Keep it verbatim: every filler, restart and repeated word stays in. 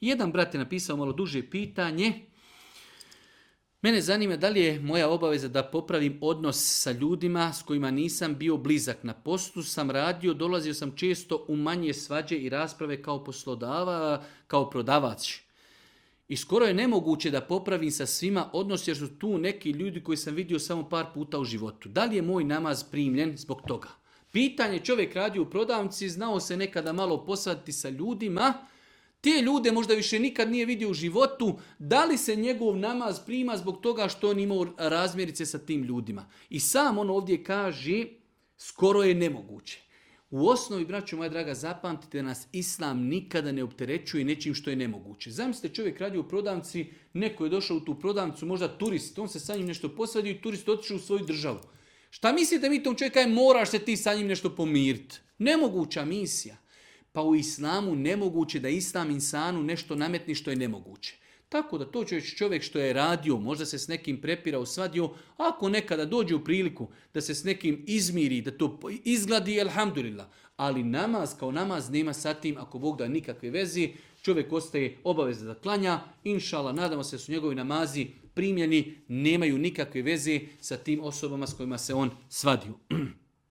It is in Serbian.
Jedan brat je napisao malo duže pitanje. Mene zanima da li je moja obaveza da popravim odnos sa ljudima s kojima nisam bio blizak. Na poslu sam radio, dolazio sam često u manje svađe i rasprave kao poslodava, kao prodavač. I skoro je nemoguće da popravim sa svima odnos jer su tu neki ljudi koji sam vidio samo par puta u životu. Da li je moj namaz primljen zbog toga? Pitanje, čovjek radi u prodavnici, znao se nekada malo posvaditi sa ljudima, te ljude možda više nikad nije vidio u životu, da li se njegov namaz prima zbog toga što on imao razmjerice sa tim ljudima. I sam on ovdje kaže, skoro je nemoguće. U osnovi, braćo moja draga, zapamtite da nas Islam nikada ne opterećuje nečim što je nemoguće. Zamislite, čovjek radi u prodavnici, neko je došao u tu prodavnicu, možda turist, on se sa njim nešto posvadio i turist otišao u svoju državu. Šta mislite mi tom čovjeka je moraš se ti sa njim nešto pomiriti? Nemoguća misija. Pa u Islamu nemoguće da Islam insanu nešto nametni što je nemoguće. Tako da to čovjek što je radio, možda se s nekim prepirao, svadio, ako nekada dođe u priliku da se s nekim izmiri, da to izgladi, elhamdulillah. Ali namaz kao namaz nema sa tim, ako Bog da nikakve vezi, čovjek ostaje obavezan da klanja, inšala, nadamo se da su njegovi namazi primljeni, nemaju nikakve veze sa tim osobama s kojima se on svadio.